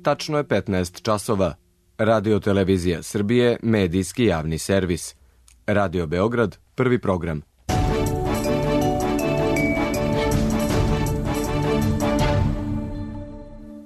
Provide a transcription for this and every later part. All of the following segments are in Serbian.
Tačno je 15 časova. Radio Televizija Srbije, medijski javni servis. Radio Beograd, prvi program.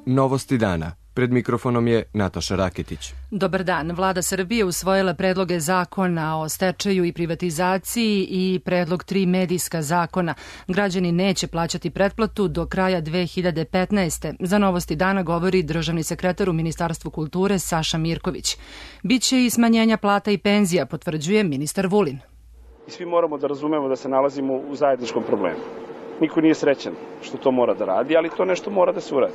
Novosti dana. Pred mikrofonom je Nataša Raketić. Dobar dan. Vlada Srbije usvojila predloge zakona o stečaju i privatizaciji i predlog 3 medijska zakona. Građani neće plaćati pretplatu do kraja 2015. Za Novosti dana govori državni sekretar u Ministarstvu kulture Saša Mirković. Biće i smanjenja plata i penzija, potvrđuje ministar Vulin. I svi moramo da razumemo da se nalazimo u zajedničkom problemu. Niko nije srećan što to mora da radi, ali to nešto mora da se uradi.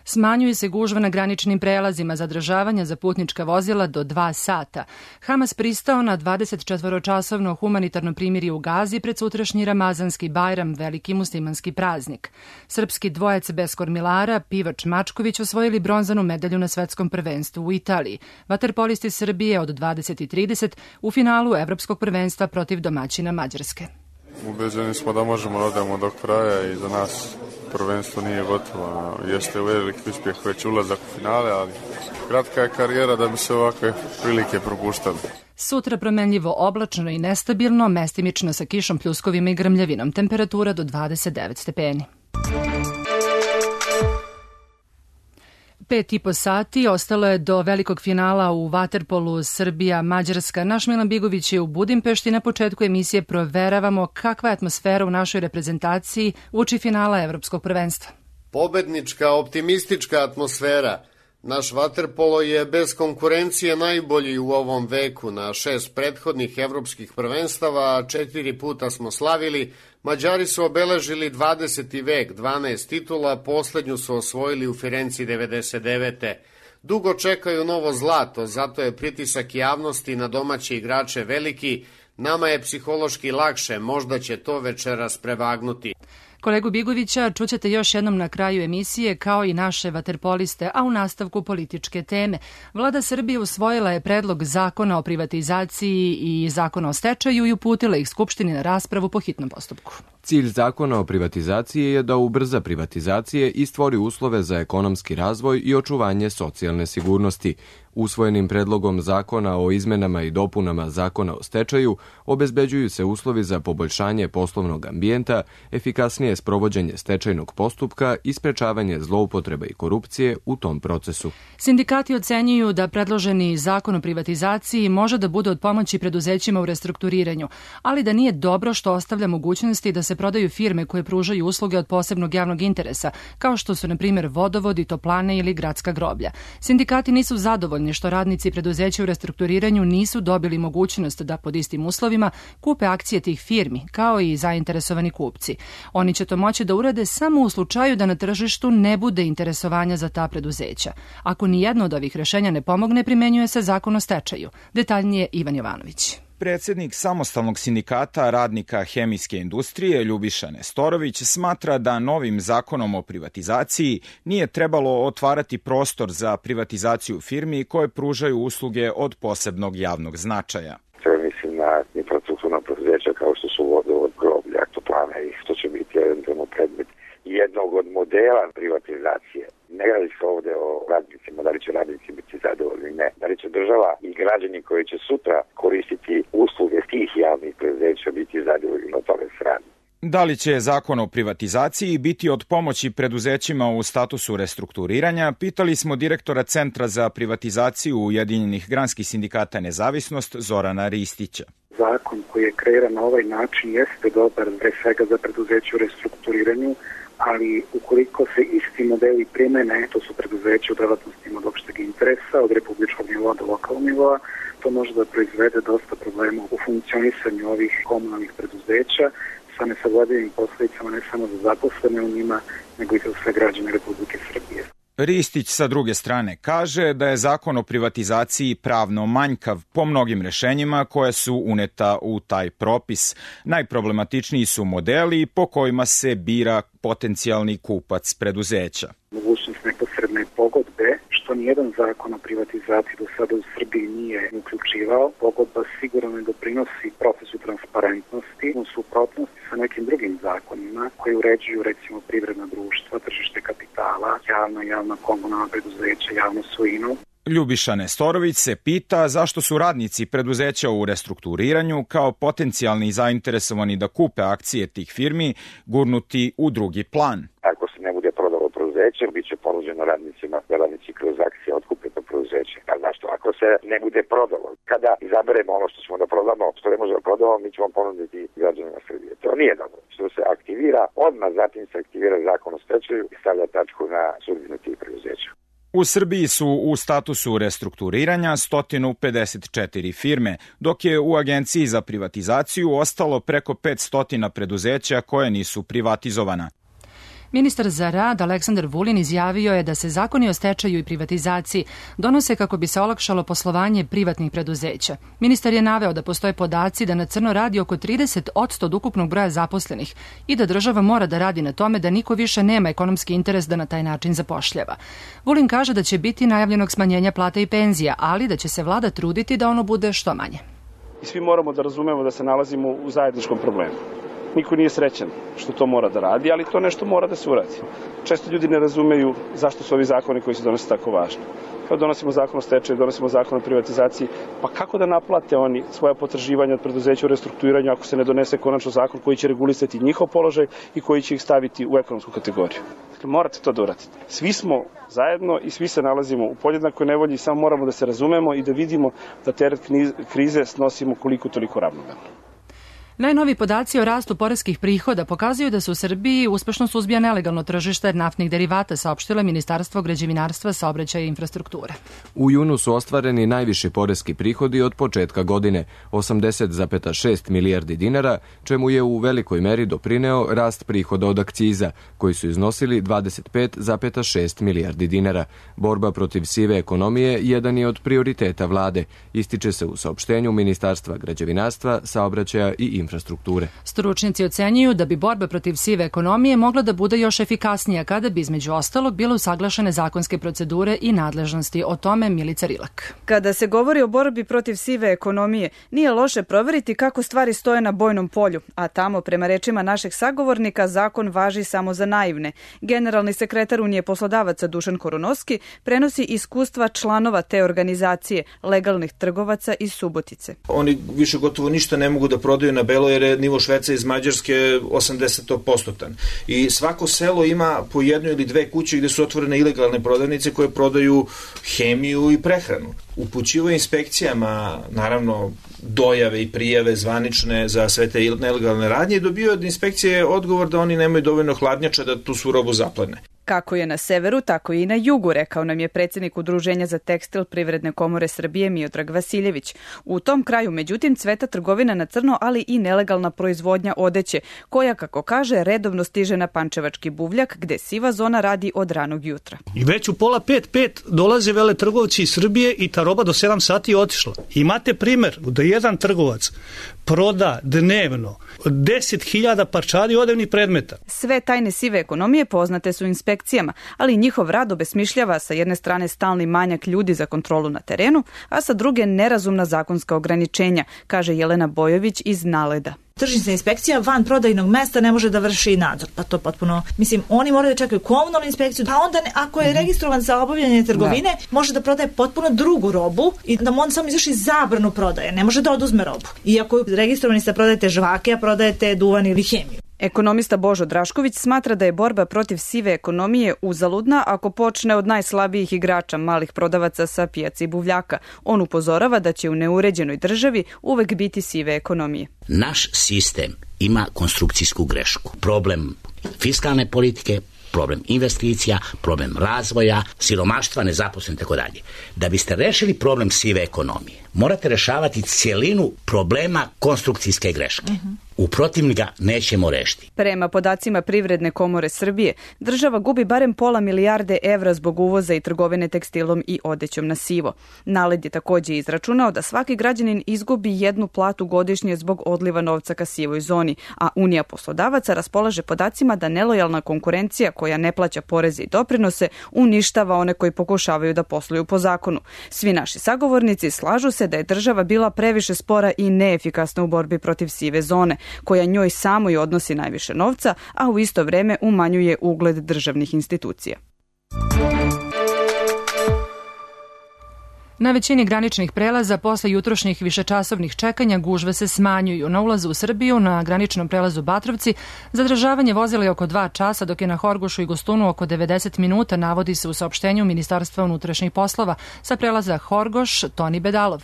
Smanjuje se gužva na graničnim prelazima zadržavanja za putnička vozila do 2 sata. Hamas pristao na 24-časovno humanitarno primirje u Gazi pred sutrašnji Ramazanski Bajram, veliki muslimanski praznik. Srpski dvojac bez kormilara, Pivač Mačković, osvojili bronzanu medalju na svetskom prvenstvu u Italiji. Vaterpolisti Srbije od 20:30 u finalu Evropskog prvenstva protiv domaćina Mađarske. Ubeđeni smo da možemo da odemo do kraja i za nas prvenstvo nije gotovo. Jeste veliki uspjeh već ulazak u finale, ali kratka je karijera da bi se ovakve prilike propuštali. Sutra promenljivo oblačno i nestabilno, mestimično sa kišom, pljuskovima i grmljavinom. Temperatura do 29 stepeni. 5,5 sati ostalo je do velikog finala u vaterpolu Srbija-Mađarska. Naš Milan Bigović je u Budimpešti. Na početku emisije proveravamo kakva je atmosfera u našoj reprezentaciji uoči finala Evropskog prvenstva. Pobednička, optimistička atmosfera. Naš vaterpolo je bez konkurencije najbolji u ovom veku. Na 6 prethodnih evropskih prvenstava 4 puta smo slavili. Mađari su obeležili 20. vek, 12 titula, poslednju su osvojili u Firenci 99. Dugo čekaju novo zlato, zato je pritisak javnosti na domaće igrače veliki. Nama je psihološki lakše, možda će to večeras prevagnuti. Kolegu Bigovića čućete još jednom na kraju emisije, kao i naše vaterpoliste, a u nastavku političke teme. Vlada Srbije usvojila je predlog zakona o privatizaciji i zakona o stečaju i uputila ih Skupštini na raspravu po hitnom postupku. Cilj zakona o privatizaciji je da ubrza privatizacije i stvori uslove za ekonomski razvoj i očuvanje socijalne sigurnosti. Usvojenim predlogom zakona o izmenama i dopunama zakona o stečaju obezbeđuju se uslovi za poboljšanje poslovnog ambijenta, efikasnije sprovođenje stečajnog postupka i sprečavanje zloupotreba i korupcije u tom procesu. Sindikati ocenjuju da predloženi zakon o privatizaciji može da bude od pomoći preduzećima u restrukturiranju, ali da nije dobro što ostavlja mogućnosti da se prodaju firme koje pružaju usluge od posebnog javnog interesa, kao što su, na primjer, vodovodi, toplane ili gradska groblja. Sindikati nisu zadovoljni što radnici preduzeća u restrukturiranju nisu dobili mogućnost da pod istim uslovima kupe akcije tih firmi, kao i zainteresovani kupci. Oni će to moći da urade samo u slučaju da na tržištu ne bude interesovanja za ta preduzeća. Ako ni jedno od ovih rešenja ne pomogne, primenjuje se zakon o stečaju. Detaljnije Ivan Jovanović. Predsjednik samostalnog sindikata radnika hemijske industrije Ljubiša Nestorović smatra da novim zakonom o privatizaciji nije trebalo otvarati prostor za privatizaciju firmi koje pružaju usluge od posebnog javnog značaja. Mislim na infrastrukturna preduzeća kao što su vodovod, groblja, toplane i što će biti eventualno predmet jednog od modela privatizacije. Ne radi se ovde o radnicima, da li će radnici biti zadovoljni, ne. Da li će država i građani koji će sutra koristiti usluge tih javnih preduzeća biti zadovoljni, o tome se radi. Da li će zakon o privatizaciji biti od pomoći preduzećima u statusu restrukturiranja, pitali smo direktora Centra za privatizaciju Ujedinjenih granskih sindikata Nezavisnost Zorana Ristića. Zakon koji je kreiran na ovaj način jeste dobar pre svega za preduzeće u restrukturiranju, ali ukoliko se isti modeli primene, to su preduzeće u delatnostima od opšteg interesa, od republičkog nivoa do lokalnog nivoa, to može da proizvede dosta problema u funkcionisanju ovih komunalnih preduzeća sa nesagledivim posledicama ne samo za zaposlene u njima, nego i za sve građane Republike Srbije. Ristić sa druge strane kaže da je zakon o privatizaciji pravno manjkav po mnogim rešenjima koje su uneta u taj propis. Najproblematičniji su modeli po kojima se bira potencijalni kupac preduzeća. Mogućnost neposredne pogodbe, što nije nijedan zakon o privatizaciji do sada u Srbiji nije uključivao. Pogodba sigurno ne doprinosi procesu transparentnosti u suprotnosti sa nekim drugim zakonima koji uređuju recimo privredna društva, tržište kapitala, javna komunalna preduzeća, javnu svojinu. Ljubiša Nestorović se pita zašto su radnici preduzeća u restrukturiranju kao potencijalni zainteresovani da kupe akcije tih firmi gurnuti u drugi plan. Ako se ne bude prodalo preduzeće, bit će ponuđeno radnicima da radnici kroz akcije otkupe to preduzeće. A zašto? Ako se ne bude prodalo, kada izaberemo ono što ćemo da prodamo, što ne možemo da prodamo, mi ćemo ponuditi građanima Srbije. To nije dobro. Što se aktivira, odmah zatim se aktivira zakon o stečaju i stavlja tačku na sudbinu tih preduzeća. U Srbiji su u statusu restrukturiranja 154 firme, dok je u Agenciji za privatizaciju ostalo preko 500 preduzeća koje nisu privatizovana. Ministar za rad Aleksandar Vulin izjavio je da se zakoni o stečaju i privatizaciji donose kako bi se olakšalo poslovanje privatnih preduzeća. Ministar je naveo da postoje podaci da na crno radi oko 30% od ukupnog broja zaposlenih i da država mora da radi na tome da niko više nema ekonomski interes da na taj način zapošljava. Vulin kaže da će biti najavljenog smanjenja plata i penzija, ali da će se vlada truditi da ono bude što manje. I svi moramo da razumemo da se nalazimo u zajedničkom problemu. Niko nije srećan što to mora da radi, ali to nešto mora da se uradi. Često ljudi ne razumeju zašto su ovi zakoni koji se donose tako važni. Kao donosimo zakon o stečaju, donosimo zakon o privatizaciji, pa kako da naplate oni svoja potraživanja od preduzeća u restrukturiranju ako se ne donese konačno zakon koji će regulisati njihov položaj i koji će ih staviti u ekonomsku kategoriju. Dakle, morate to da uradite. Svi smo zajedno i svi se nalazimo u podjednakoj nevolji i samo moramo da se razumemo i da vidimo da teret krize snosimo koliko toliko ravnomerno. Najnoviji podaci o rastu poreskih prihoda pokazuju da se u Srbiji uspešno suzbija nelegalno tržište naftnih derivata, saopštilo Ministarstvo građevinarstva, saobraćaja i infrastrukture. U junu su ostvareni najviši poreski prihodi od početka godine, 80,6 milijardi dinara, čemu je u velikoj meri doprineo rast prihoda od akciza, koji su iznosili 25,6 milijardi dinara. Borba protiv sive ekonomije jedan je od prioriteta vlade, ističe se u saopštenju Ministarstva građevinarstva, saobraćaja i infrastrukture. Stručnjaci ocenjuju da bi borba protiv sive ekonomije mogla da bude još efikasnija kada bi između ostalog bile usaglašene zakonske procedure i nadležnosti. O tome Milica Rilak. Kada se govori o borbi protiv sive ekonomije, nije loše proveriti kako stvari stoje na bojnom polju, a tamo, prema rečima našeg sagovornika, zakon važi samo za naivne. Generalni sekretar Unije poslodavaca Dušan Korunovski prenosi iskustva članova te organizacije, legalnih trgovaca iz Subotice. Oni više gotovo ništa ne mogu da prodaju na belo jer je nivo šverca iz Mađarske 80%. I svako selo ima po jednu ili dve kuće gde su otvorene ilegalne prodavnice koje prodaju hemiju i prehranu. Upućivo inspekcijama, naravno, dojave i prijave zvanične za sve te nelegalne radnje i dobio od inspekcije odgovor da oni nemaju dovoljno hladnjača da tu su robu zaplene. Kako je na severu, tako i na jugu, rekao nam je predsjednik Udruženja za tekstil Privredne komore Srbije Miodrag Vasiljević. U tom kraju, međutim, cveta trgovina na crno, ali i nelegalna proizvodnja odeće, koja, kako kaže, redovno stiže na Pančevački buvljak, gde siva zona radi od ranog jutra. I već u 4:45 dolaze veletrgovci iz Srbije i ta roba do 7 sati je otišla. Imate primer da jedan trgovac proda dnevno 10.000 parčadi odevnih predmeta. Sve tajne sive ekonomije poznate su inspekcijama, ali njihov rad obesmišljava sa jedne strane stalni manjak ljudi za kontrolu na terenu, a sa druge nerazumna zakonska ograničenja, kaže Jelena Bojović iz Naleda. Tržišna inspekcija van prodajnog mesta ne može da vrši nadzor, pa to potpuno, mislim, oni moraju da čekaju komunalnu inspekciju, pa onda ako je registrovan za obavljanje trgovine, može da prodaje potpuno drugu robu i da mu on samo izvrši zabranu prodaje, ne može da oduzme robu. Iako je registrovani ste prodajete žvake, a prodajete duvan ili hemiju. Ekonomista Božo Drašković smatra da je borba protiv sive ekonomije uzaludna ako počne od najslabijih igrača, malih prodavaca sa pijace i buvljaka. On upozorava da će u neuređenoj državi uvek biti sive ekonomije. Naš sistem ima konstrukcijsku grešku. Problem fiskalne politike, problem investicija, problem razvoja, siromaštva, nezaposlenosti, tako dalje. Da biste rešili problem sive ekonomije, morate rešavati cijelinu problema konstrukcijske greške. U protivnika nećemo rešiti. Prema podacima Privredne komore Srbije, država gubi barem pola milijarde evra zbog uvoza i trgovine tekstilom i odećom na sivo. NALED je takođe izračunao da svaki građanin izgubi 1 platu godišnje zbog odliva novca ka sivoj zoni, a Unija poslodavaca raspolaže podacima da nelojalna konkurencija koja ne plaća poreze i doprinose uništava one koji pokušavaju da posluju po zakonu. Svi naši sagovornici slažu se da je država bila previše spora i neefikasna u borbi protiv sive zone, koja njoj samoj odnosi najviše novca, a u isto vreme umanjuje ugled državnih institucija. Na većini graničnih prelaza posle jutrošnjih višečasovnih čekanja gužve se smanjuju. Na ulazu u Srbiju na graničnom prelazu Batrovci zadržavanje vozila je oko 2 časa, dok je na Horgošu i Gostunu oko 90 minuta, navodi se u saopštenju Ministarstva unutrašnjih poslova. Sa prelaza Horgoš, Toni Bedalov.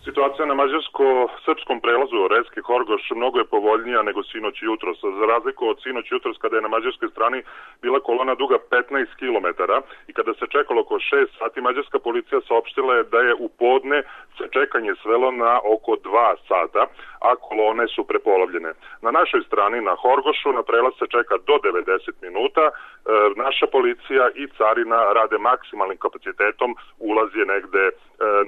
Situacija na mađarsko-srpskom prelazu Orezki-Horgoš mnogo je povoljnija nego sinoć i jutros. Za razliku od sinoć i jutros kada je na mađarskoj strani bila kolona duga 15 km i kada se čekalo oko 6 sati, mađarska policija saopštila je da je u podne se čekanje svelo na oko 2 sata, a kolone su prepolovljene. Na našoj strani, na Horgošu, na prelaz se čeka do 90 minuta. Naša policija i carina rade maksimalnim kapacitetom, ulaz je negde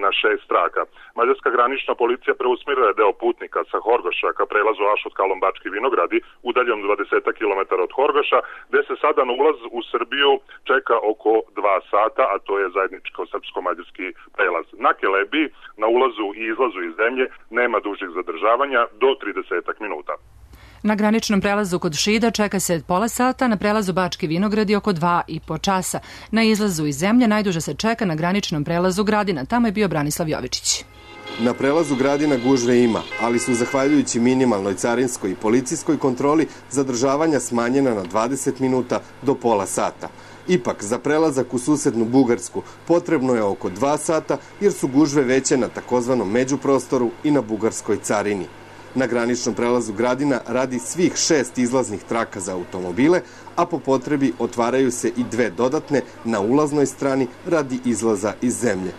na 6 traka. Mađarska granična policija preusmjerila je deo putnika sa Horgoša ka prelazu Ašot-Kalom-Bački Vinogradi, udaljem 20 km od Horgoša, gde se sada na ulaz u Srbiju čeka oko 2 sata, a to je zajedničko-srpsko-mađarski prelaz. Na Kelebiji, na ulazu i izlazu iz zemlje, nema dužih zadržavanja do 30 minuta. Na graničnom prelazu kod Šida čeka se pola sata, na prelazu Bački Vinogradi oko 2,5 časa. Na izlazu iz zemlje najduže se čeka na graničnom prelazu Gradina. Tamo je bio Branislav Jovičić. Na prelazu Gradina gužve ima, ali su zahvaljujući minimalnoj carinskoj i policijskoj kontroli zadržavanja smanjena na 20 minuta do pola sata. Ipak, za prelazak u susednu Bugarsku potrebno je oko 2 sata jer su gužve veće na takozvanom međuprostoru i na bugarskoj carini. Na graničnom prelazu Gradina radi svih 6 izlaznih traka za automobile, a po potrebi otvaraju se i 2 dodatne na ulaznoj strani radi izlaza iz zemlje.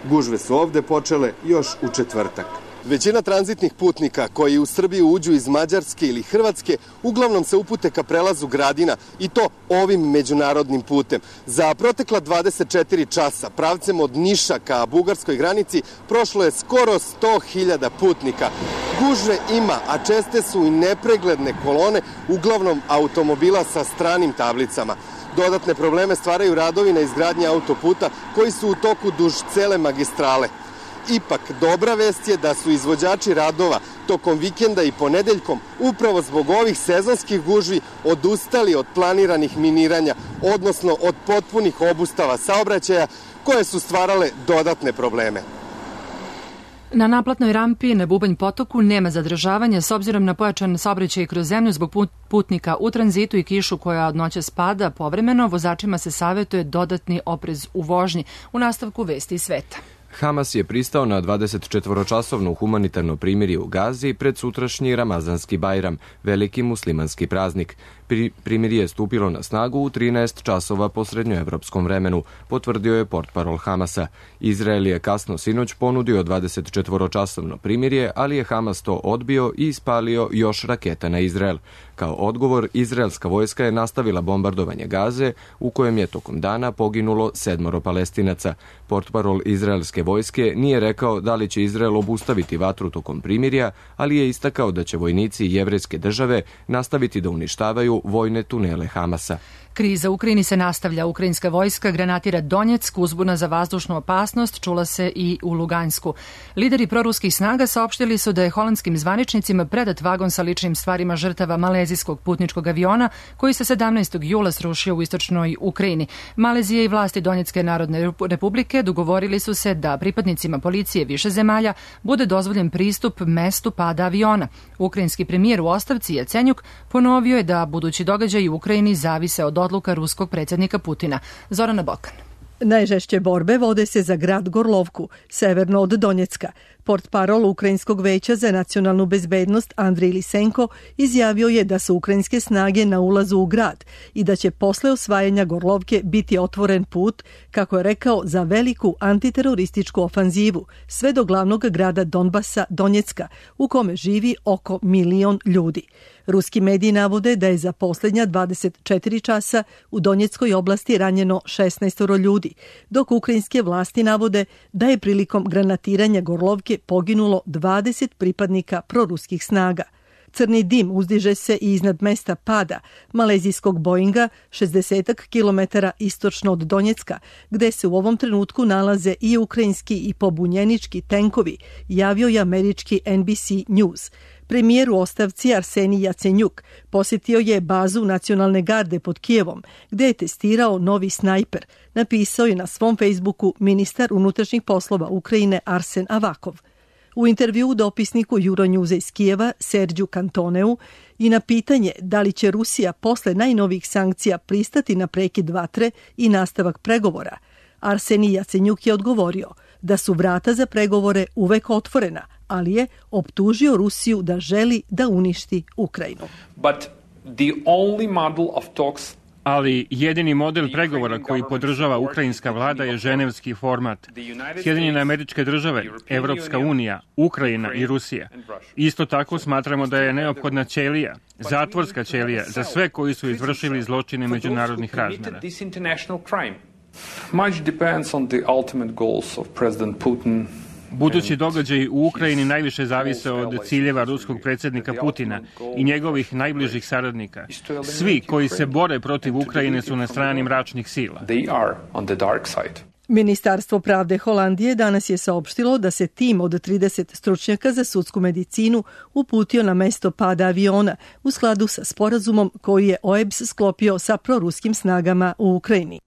Gužve su ovde počele još u četvrtak. Većina tranzitnih putnika koji u Srbiju uđu iz Mađarske ili Hrvatske uglavnom se upute ka prelazu Gradina i to ovim međunarodnim putem. Za protekla 24 časa pravcem od Niša ka bugarskoj granici prošlo je skoro 100.000 putnika. Gužve ima, a česte su i nepregledne kolone, uglavnom automobila sa stranim tablicama. Dodatne probleme stvaraju radovi na izgradnji autoputa koji su u toku duž cele magistrale. Ipak, dobra vest je da su izvođači radova tokom vikenda i ponedeljkom upravo zbog ovih sezonskih gužvi odustali od planiranih miniranja, odnosno od potpunih obustava saobraćaja koje su stvarale dodatne probleme. Na naplatnoj rampi na Bubanj potoku nema zadržavanja s obzirom na pojačan saobraćaj kroz zemlju zbog putnika u tranzitu i kišu koja od noća spada povremeno. Vozačima se savjetuje dodatni oprez u vožnji. U nastavku vesti iz sveta. Hamas je pristao na 24-časovno humanitarno primirje u Gazi pred sutrašnji Ramazanski Bajram, veliki muslimanski praznik. Primirje je stupilo na snagu u 13 časova po srednjoevropskom vremenu, potvrdio je portparol Hamasa. Izrael je kasno sinoć ponudio 24-časovno primirje, ali je Hamas to odbio i ispalio još raketa na Izrael. Kao odgovor, izraelska vojska je nastavila bombardovanje Gaze, u kojem je tokom dana poginulo 7 Palestinaca. Portparol izraelske vojske nije rekao da li će Izrael obustaviti vatru tokom primirja, ali je istakao da će vojnici jevrejske države nastaviti da uništavaju vojne tunele Hamasa. Kriza u Ukrajini se nastavlja. Ukrajinska vojska granatira Donjeck, uzbuna za vazdušnu opasnost čula se i u Lugansku. Lideri proruskih snaga saopštili su da je holandskim zvaničnicima predat vagon sa ličnim stvarima žrtava malezijskog putničkog aviona koji se 17. jula srušio u istočnoj Ukrajini. Malezija i vlasti Donjecke narodne republike dogovorili su se da pripadnicima policije više zemalja bude dozvoljen pristup mestu pada aviona. Ukrajinski premijer u ostavci Jacenjuk ponovio je da budući događaji u Ukrajini zavise od odluka ruskog predsjednika Putina. Zorana Bokan. Najžešće borbe vode se za grad Gorlovku, severno od Donjecka. Portparol Ukrajinskog veća za nacionalnu bezbednost Andrij Lisenko izjavio je da su ukrajinske snage na ulazu u grad i da će posle osvajanja Gorlovke biti otvoren put, kako je rekao, za veliku antiterorističku ofanzivu sve do glavnog grada Donbasa, Donjecka, u kome živi oko 1 milion ljudi. Ruski mediji navode da je za posljednja 24 časa u Donjeckoj oblasti ranjeno 16 ljudi, dok ukrajinske vlasti navode da je prilikom granatiranja Gorlovke poginulo 20 pripadnika proruskih snaga. Crni dim uzdiže se i iznad mesta pada malezijskog Boeinga 60 km istočno od Donjecka, gde se u ovom trenutku nalaze i ukrajinski i pobunjenički tenkovi, javio je američki NBC News. Premijer u ostavci Arsenij Jacenjuk posjetio je bazu nacionalne garde pod Kijevom, gde je testirao novi snajper, napisao je na svom Facebooku ministar unutrašnjih poslova Ukrajine Arsen Avakov. U intervjuu dopisniku Euronewsa iz Kijeva Serđu Kantoneu i na pitanje da li će Rusija posle najnovijih sankcija pristati na prekid vatre i nastavak pregovora, Arsenij Jacenjuk je odgovorio da su vrata za pregovore uvek otvorena, ali je optužio Rusiju da želi da uništi Ukrajinu. Ali jedini model pregovora koji podržava ukrajinska vlada je ženevski format. Sjedinjene Američke Države, Evropska unija, Ukrajina i Rusija. Isto tako smatramo da je neophodna ćelija, zatvorska ćelija za sve koji su izvršili zločine međunarodnih razmjera. Much depends on the ultimate goals of President Putin. Budući događaji u Ukrajini najviše zavise od ciljeva ruskog predsjednika Putina i njegovih najbližih saradnika. Svi koji se bore protiv Ukrajine su na strani mračnih sila. Ministarstvo pravde Holandije danas je saopštilo da se tim od 30 stručnjaka za sudsku medicinu uputio na mesto pada aviona u skladu sa sporazumom koji je OEBS sklopio sa proruskim snagama u Ukrajini.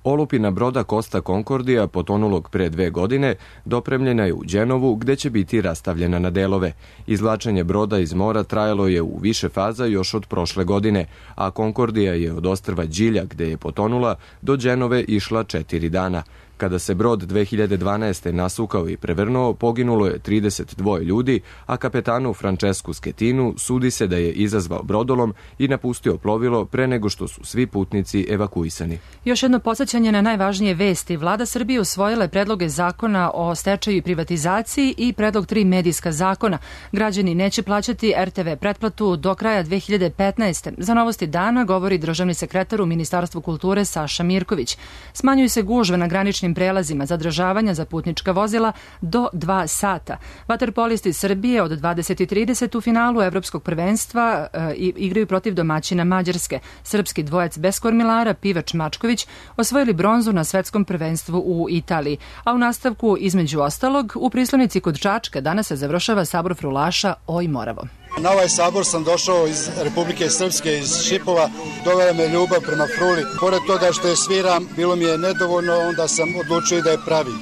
Olupina broda Costa Concordia, potonulog pre 2 godine, dopremljena je u Đenovu, gde će biti rastavljena na delove. Izvlačenje broda iz mora trajalo je u više faza još od prošle godine, a Concordia je od ostrva Đilja, gde je potonula, do Đenove išla 4 dana. Kada se brod 2012. nasukao i prevrnuo, poginulo je 32 ljudi, a kapetanu Francesku Schettinu sudi se da je izazvao brodolom i napustio plovilo pre nego što su svi putnici evakuisani. Još jedno podsjećanje na najvažnije vesti. Vlada Srbije usvojila je predloge zakona o stečaju i privatizaciji i predlog 3 medijska zakona. Građani neće plaćati RTV pretplatu do kraja 2015. Za Novosti dana govori državni sekretar u Ministarstvu kulture Saša Mirković. Smanjuju se gužve na graničnim prelazima zadržavanja za putnička vozila do 2 sata. Vaterpolisti Srbije od 20:30 u finalu Evropskog prvenstva igraju protiv domaćina Mađarske. Srpski dvojac bez kormilara Pivač Mačković osvojili bronzu na svetskom prvenstvu u Italiji. A u nastavku, između ostalog, u Prislonici kod Čačka danas se završava sabor frulaša Oj Moravo. Na ovaj sabor sam došao iz Republike Srpske, iz Šipova. Dovela me ljubav prema fruli. Pored toga što je sviram, bilo mi je nedovoljno, onda sam odlučio da je pravim.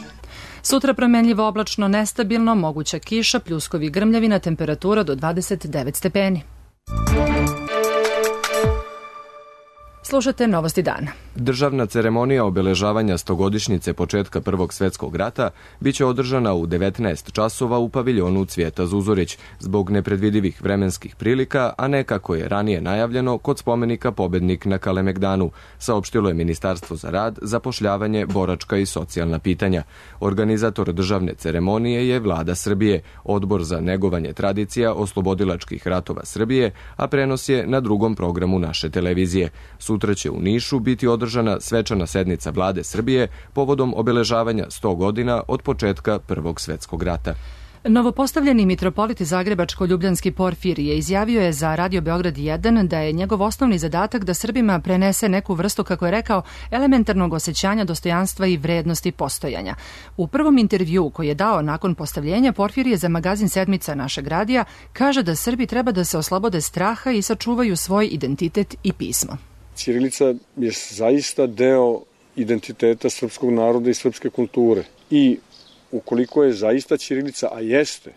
Sutra promenljivo oblačno, nestabilno, moguća kiša, pljuskovi, grmljavina, temperatura do 29 stepeni. Slušate Novosti dana. Državna ceremonija obeležavanja 100-godišnjice početka Prvog svjetskog rata biće održana u 19 časova u paviljonu Cvijeta Zuzorić zbog nepredvidivih vremenskih prilika, a ne kako je ranije najavljeno kod spomenika Pobednik na Kalemegdanu, saopštilo je Ministarstvo za rad, zapošljavanje, boračka i socijalna pitanja. Organizator državne ceremonije je Vlada Srbije, Odbor za negovanje tradicija oslobodilačkih ratova Srbije, a prenos je na drugom programu naše televizije. Sutra će u Nišu biti održana svečana sednica Vlade Srbije povodom obeležavanja 100 godina od početka Prvog svjetskog rata. Novopostavljeni mitropolit Zagrebačko-Ljubljanski Porfirije izjavio je za Radio Beograd 1 da je njegov osnovni zadatak da Srbima prenese neku vrstu, kako je rekao, elementarnog osjećanja dostojanstva i vrednosti postojanja. U prvom intervjuu koji je dao nakon postavljenja, Porfirije za magazin Sedmica našeg radija kaže da Srbi treba da se oslobode straha i sačuvaju svoj identitet i pismo. Ćirilica je zaista deo identiteta srpskog naroda i srpske kulture. I ukoliko je zaista ćirilica, a jeste,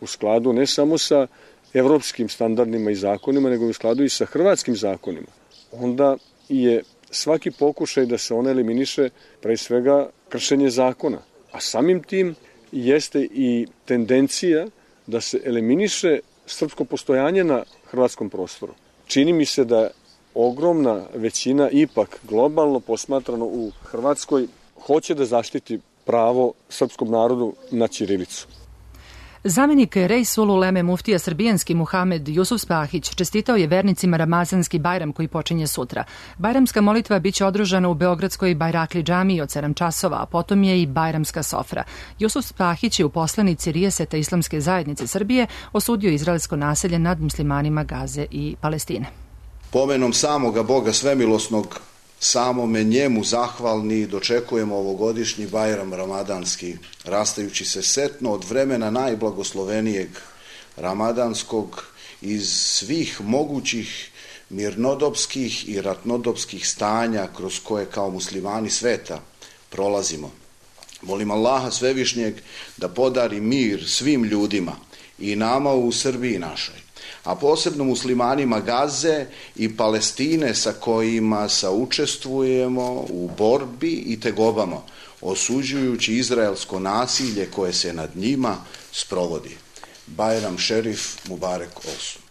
u skladu ne samo sa evropskim standardima i zakonima, nego u skladu i sa hrvatskim zakonima, onda je svaki pokušaj da se ona eliminiše pre svega kršenje zakona. A samim tim jeste i tendencija da se eliminiše srpsko postojanje na hrvatskom prostoru. Čini mi se da ogromna većina ipak globalno posmatrano u Hrvatskoj hoće da zaštiti pravo srpskom narodu na ćirilicu. Zamenik Reisul Uleme muftija srbijanski Muhamed Jusuf Spahić čestitao je vernicima Ramazanski Bajram koji počinje sutra. Bajramska molitva biće održana u Beogradskoj Bajrakli džamiji od 7 časova, a potom je i Bajramska sofra. Jusuf Spahić je u poslanici Rijeseta Islamske zajednice Srbije osudio izraelsko naselje nad muslimanima Gaze i Palestine. Pomenom samoga Boga svemilosnog, samome njemu zahvalni dočekujemo ovogodišnji Bajram ramadanski, rastajući se setno od vremena najblagoslovenijeg ramadanskog iz svih mogućih mirnodopskih i ratnodopskih stanja kroz koje kao muslimani sveta prolazimo. Molim Allaha Svevišnjeg da podari mir svim ljudima i nama u Srbiji našoj, a posebno muslimanima Gaze i Palestine sa kojima saučestvujemo u borbi i tegobama, osuđujući izraelsko nasilje koje se nad njima sprovodi. Bajram Šerif Mubarek Olsun.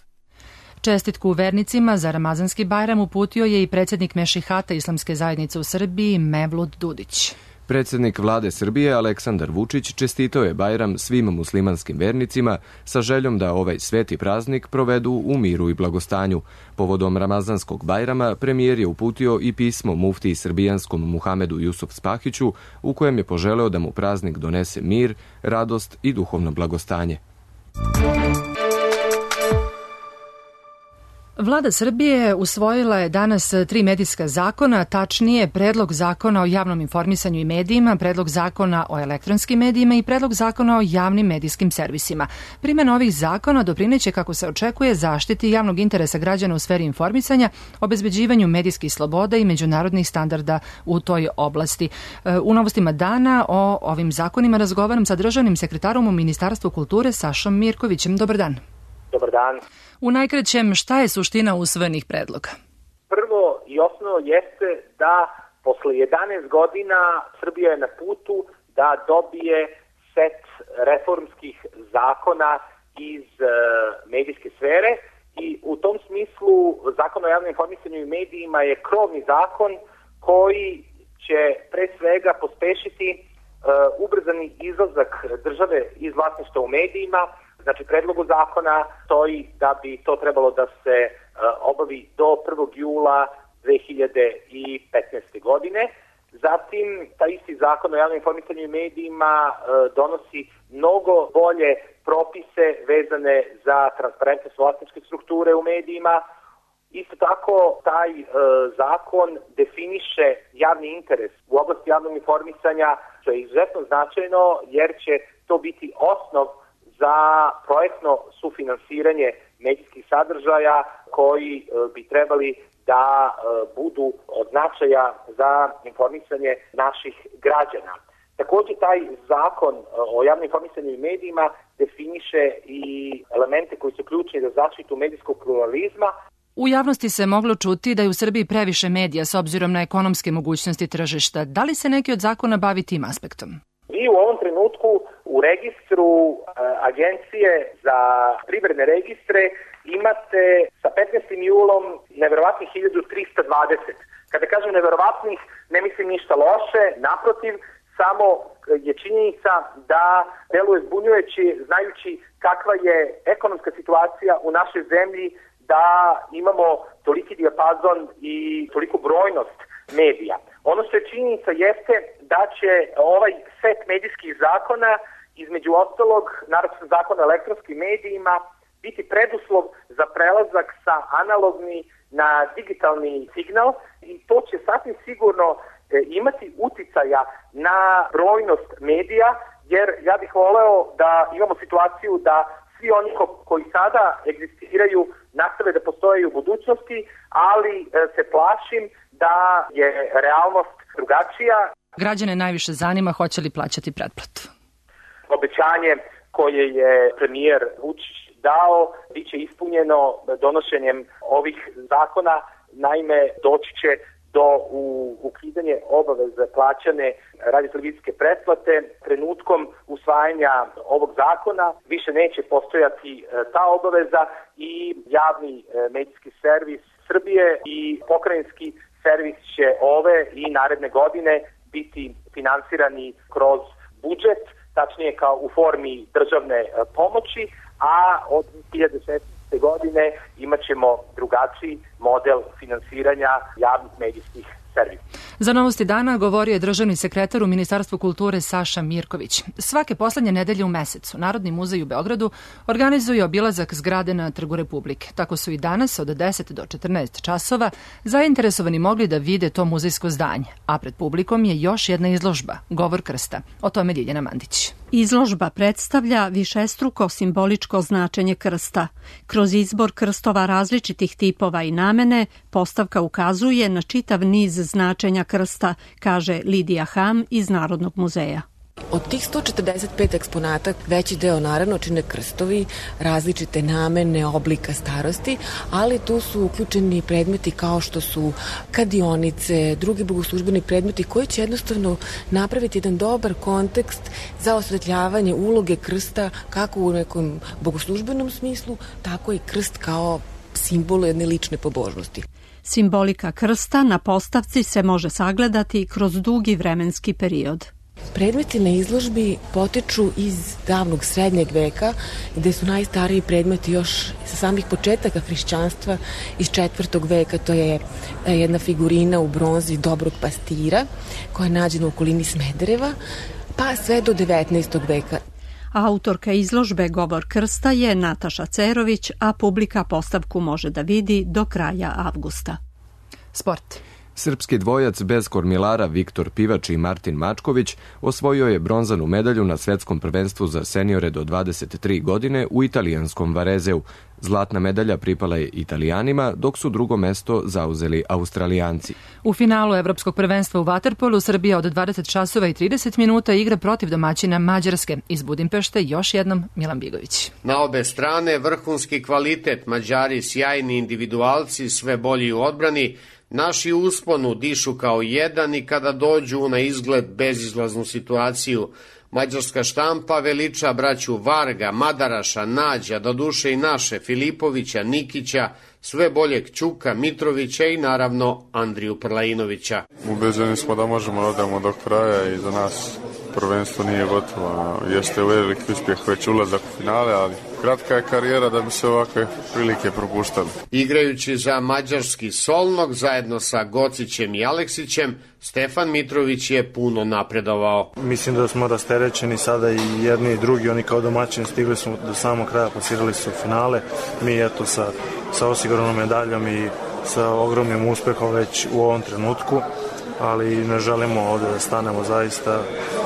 Čestitku vernicima za Ramazanski Bajram uputio je i predsjednik Mešihata Islamske zajednice u Srbiji Mevlut Dudić. Predsjednik vlade Srbije Aleksandar Vučić čestitao je Bajram svim muslimanskim vernicima sa željom da ovaj sveti praznik provedu u miru i blagostanju. Povodom Ramazanskog Bajrama premijer je uputio i pismo muftiji srbijanskom Muhamedu Jusuf Spahiću u kojem je poželeo da mu praznik donese mir, radost i duhovno blagostanje. Vlada Srbije usvojila je danas 3 medijska zakona, tačnije Predlog zakona o javnom informisanju i medijima, Predlog zakona o elektronskim medijima i Predlog zakona o javnim medijskim servisima. Primjena ovih zakona doprineće, kako se očekuje, zaštiti javnog interesa građana u sferi informisanja, obezbeđivanju medijskih sloboda i međunarodnih standarda u toj oblasti. U novostima dana o ovim zakonima razgovaram sa državnim sekretarom u Ministarstvu kulture Sašom Mirkovićem. Dobar dan. Dobar dan. U najkraćem, šta je suština usvojenih predloga? Prvo i osnovno jeste da posle 11 godina Srbija je na putu da dobije set reformskih zakona iz medijske sfere i u tom smislu Zakon o javnom informisanju i medijima je krovni zakon koji će pre svega pospešiti ubrzani izlazak države iz vlasništva u medijima. Znači, predlogu zakona stoji da bi to trebalo da se obavi do 1. jula 2015. godine. Zatim, taj isti zakon o javnom informisanju i medijima donosi mnogo bolje propise vezane za transparentnost vlasničke strukture u medijima. Isto tako, taj zakon definiše javni interes u oblasti javnog informisanja, što je izuzetno značajno jer će to biti osnov za projektno sufinansiranje medijskih sadržaja koji bi trebali da budu od značaja za informisanje naših građana. Također, taj zakon o javnom informisanju i medijima definiše i elemente koji su ključni za zaštitu medijskog pluralizma. U javnosti se moglo čuti da je u Srbiji previše medija s obzirom na ekonomske mogućnosti tržišta. Da li se neki od zakona bavi tim aspektom? Vi u ovom trenutku u registru Agencije za privredne registre imate sa 15. julom neverovatnih 1320. Kada kažem neverovatnih, ne mislim ništa loše, naprotiv, samo je činjenica da deluje zbunjujući znajući kakva je ekonomska situacija u našoj zemlji, da imamo toliki dijapazon i toliku brojnost medija. Ono što je činjenica jeste da će ovaj set medijskih zakona, između ostalog, naročito zakona o elektronskim medijima, biti preduslov za prelazak sa analogni na digitalni signal i to će sasvim sigurno imati uticaja na brojnost medija, jer ja bih voleo da imamo situaciju da svi oni koji sada egzistiraju nastave da postoje u budućnosti, ali se plašim da je realnost drugačija. Građane najviše zanima hoće li plaćati pretplatu. Obećanje koje je premijer Vučić dao biće ispunjeno donošenjem ovih zakona. Naime, doći će do ukidanje obaveze plaćane radio-televizijske pretplate. Trenutkom usvajanja ovog zakona više neće postojati ta obaveza i javni medijski servis Srbije i pokrajinski servis će ove i naredne godine biti finansirani kroz budžet, tačnije kao u formi državne pomoći, a od 2016. godine imat ćemo drugačiji model finansiranja javnih medijskih servisa. Za Novosti dana govorio je državni sekretar u Ministarstvu kulture Saša Mirković. Svake poslednje nedelje u mesecu Narodni muzej u Beogradu organizuje obilazak zgrade na Trgu Republike. Tako su i danas od 10 do 14 časova zainteresovani mogli da vide to muzejsko zdanje, a pred publikom je još jedna izložba, Govor krsta. O tome Ljiljana Mandić. Izložba predstavlja višestruko simboličko značenje krsta. Kroz izbor krstova različitih tipova i namene, postavka ukazuje na čitav niz značenja krsta, kaže Lidija Ham iz Narodnog muzeja. Od tih 145 eksponata veći deo naravno čine krstovi, različite namene, oblika starosti, ali tu su uključeni predmeti kao što su kadionice, drugi bogoslužbeni predmeti koji će jednostavno napraviti jedan dobar kontekst za osvetljavanje uloge krsta kako u nekom bogoslužbenom smislu, tako i krst kao simbol jedne lične pobožnosti. Simbolika krsta na postavci se može sagledati kroz dugi vremenski period. Predmeti na izložbi potiču iz davnog srednjeg veka, gde su najstariji predmeti još sa samih početaka hrišćanstva iz 4. veka. To je jedna figurina u bronzi dobrog pastira koja je nađena u okolini Smedereva, pa sve do 19. veka. Autorka izložbe Govor krsta je Nataša Cerović, a publika postavku može da vidi do kraja avgusta. Sport. Srpski dvojac bez kormilara Viktor Pivač i Martin Mačković osvojio je bronzanu medalju na svetskom prvenstvu za seniore do 23 godine u italijanskom Varezeu. Zlatna medalja pripala je Italijanima, dok su drugo mesto zauzeli Australijanci. U finalu Evropskog prvenstva u vaterpolu Srbija od 20 časova i 30 minuta igra protiv domaćina Mađarske. Iz Budimpešte još jednom Milan Bigović. Na obe strane vrhunski kvalitet, Mađari sjajni individualci, sve bolji u odbrani. Naši u usponu dišu kao jedan i kada dođu na izgled bezizlaznu situaciju. Mađarska štampa veliča braću Varga, Madaraša, Nađa, doduše i naše, Filipovića, Nikića, sve boljeg Ćuka, Mitrovića i naravno Andriju Prlajinovića. Ubeđeni smo da možemo da odemo do kraja i za nas prvenstvo nije gotovo. Jeste veliki uspjeh već ulazak u finale, ali kratka je karijera da bi se ovakve prilike propuštali. Igrajući za mađarski Solnog zajedno sa Gocićem i Aleksićem, Stefan Mitrović je puno napredovao. Mislim da smo rasterećeni sada i jedni i drugi, oni kao domaćini stigli su do samog kraja, plasirali su finale. Mi eto sa osiguranom medaljom i sa ogromnim uspehom već u ovom trenutku, ali ne želimo ovde da stanemo, zaista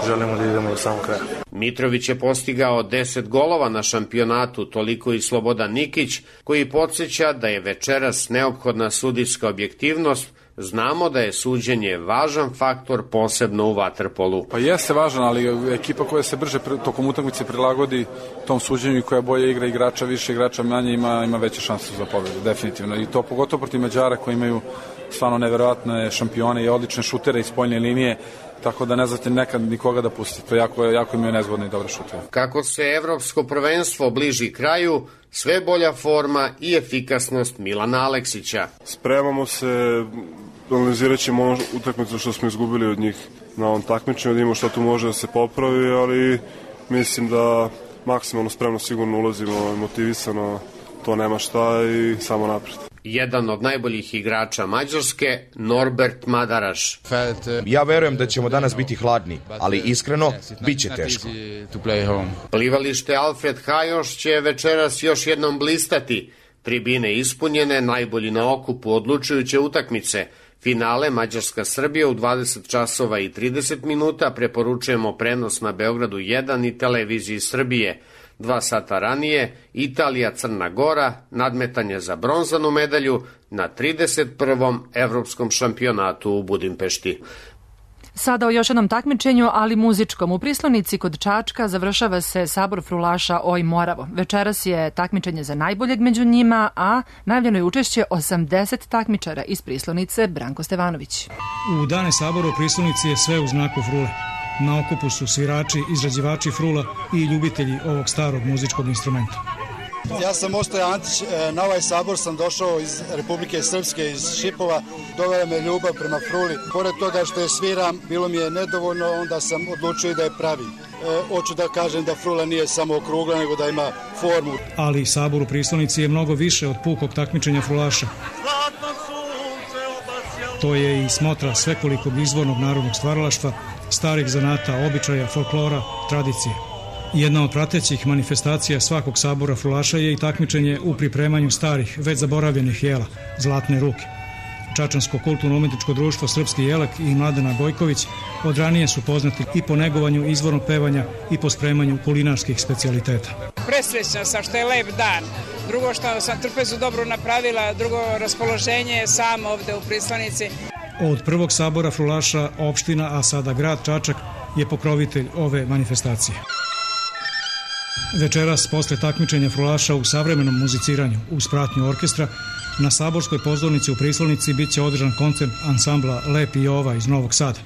želimo da idemo do samog kraja. Mitrović je postigao 10 golova na šampionatu, toliko i Slobodan Nikić, koji podsjeća da je večeras neophodna sudijska objektivnost. Znamo da je suđenje važan faktor, posebno u vaterpolu. Pa jeste važan, ali ekipa koja se brže tokom utakmice prilagodi tom suđenju i koja bolje igra igrača, više igrača manje, ima veće šanse za pobedu, definitivno. I to pogotovo protiv Mađara koji imaju stvarno neverovatne šampione i odlične šutere iz spoljne linije, tako da ne znate nekad nikoga da pusti. To jako imaju nezgodne i dobre šutere. Kako se evropsko prvenstvo bliži kraju, sve bolja forma i efikasnost Milana Aleksića. Spremamo se, analizirat ćemo utakmicu što smo izgubili od njih na ovom takmičenju, da imamo što tu može da se popravi, ali mislim da maksimalno spremno sigurno ulazimo, motivisano, to nema šta i samo napred. Jedan od najboljih igrača Mađarske, Norbert Madaraš. Ja verujem da ćemo danas biti hladni, ali iskreno, bit će teško. Plivalište Alfred Hajoš će večeras još jednom blistati. Tribine ispunjene, najbolji na okupu odlučujuće utakmice. Finale Mađarska-Srbija u 20 časova i 30 minuta, preporučujemo prenos na Beogradu 1 i televiziji Srbije. 2 sata ranije, Italija-Crna Gora, nadmetanje za bronzanu medalju na 31. evropskom šampionatu u Budimpešti. Sada o još jednom takmičenju, ali muzičkom. U Prislonici kod Čačka završava se sabor frulaša Oj Moravo. Večeras je takmičenje za najboljeg među njima, a najavljeno je učešće 80 takmičara iz Prislonice. Branko Stevanović. U dane sabora u Prislonici je sve u znaku frule. Na okupu su svirači, izrađivači frula i ljubitelji ovog starog muzičkog instrumenta. Ja sam Ostoje Antić, na ovaj sabor sam došao iz Republike Srpske, iz Šipova, dovela me ljubav prema fruli. Pored toga što je sviram, bilo mi je nedovoljno, onda sam odlučio da je pravim. Hoću da kažem da frula nije samo okrugla, nego da ima formu. Ali sabor u Prislonici je mnogo više od pukog takmičenja frulaša. To je i smotra svekolikog izvornog narodnog stvaralaštva, starih zanata, običaja, folklora, tradicije. Jedna od pratećih manifestacija svakog sabora frulaša je i takmičenje u pripremanju starih, već zaboravljenih jela, Zlatne ruke. Čačansko kulturno-umetničko društvo Srpski jelek i Mladena Gojković od ranije su poznati i po negovanju izvornog pevanja i po spremanju kulinarskih specijaliteta. Presrećna sam što je lep dan. Drugo što sam trpezu dobro napravila, drugo raspoloženje je samo ovde u Prislonici. Od prvog sabora frulaša opština, a sada grad Čačak, je pokrovitelj ove manifestacije. Večeras, posle takmičenja frulaša u savremenom muziciranju uz pratnju orkestra, na saborskoj pozornici u Prislonici biće održan koncert ansambla Lepi Jova iz Novog Sada.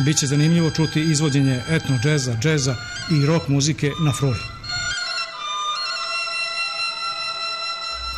Biće zanimljivo čuti izvođenje etno džeza, džeza i rock muzike na fruli.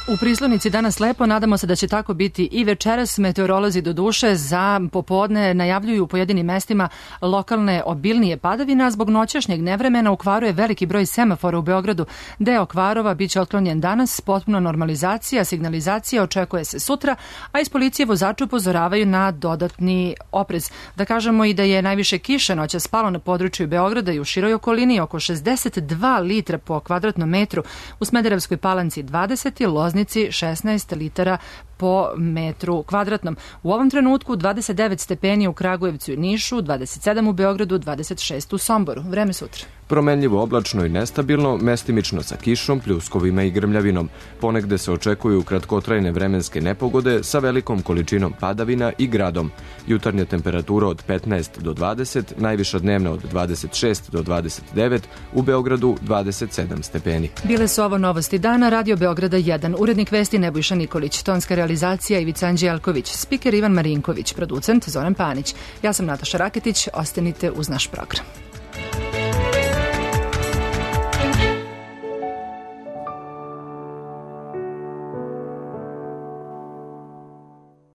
U Prislonici danas lepo, nadamo se da će tako biti i večeras. Meteorolozi do duše za popodne najavljuju u pojedinim mestima lokalne obilnije padavine, a zbog noćašnjeg nevremena u Kvaru je veliki broj semafora u Beogradu. Deo Kvarova biće otklonjen danas, potpuno normalizacija, signalizacija očekuje se sutra, a iz policije vozači upozoravaju na dodatni oprez. Da kažemo i da je najviše kiše noćas spalo na području Beograda i u široj okolini, oko 62 litra po kvadratnom metru, u Smederevskoj Palanci 20, Loznici 16 litara po metru kvadratnom. U ovom trenutku 29 stepeni u Kragujevcu i Nišu, 27 u Beogradu, 26 u Somboru. Vreme sutra. Promenljivo oblačno i nestabilno, mestimično sa kišom, pljuskovima i grmljavinom. Ponegde se očekuju kratkotrajne vremenske nepogode sa velikom količinom padavina i gradom. Jutarnja temperatura od 15 do 20, najviša dnevna od 26 do 29, u Beogradu 27 stepeni. Bile su ovo novosti dana, Radio Beograda 1, urednik vesti Nebojša Nikolić, tonska realizacija Ivica Anđelković, spiker Ivan Marinković, producent Zoran Panić. Ja sam Nataša Raketić, ostanite uz naš program.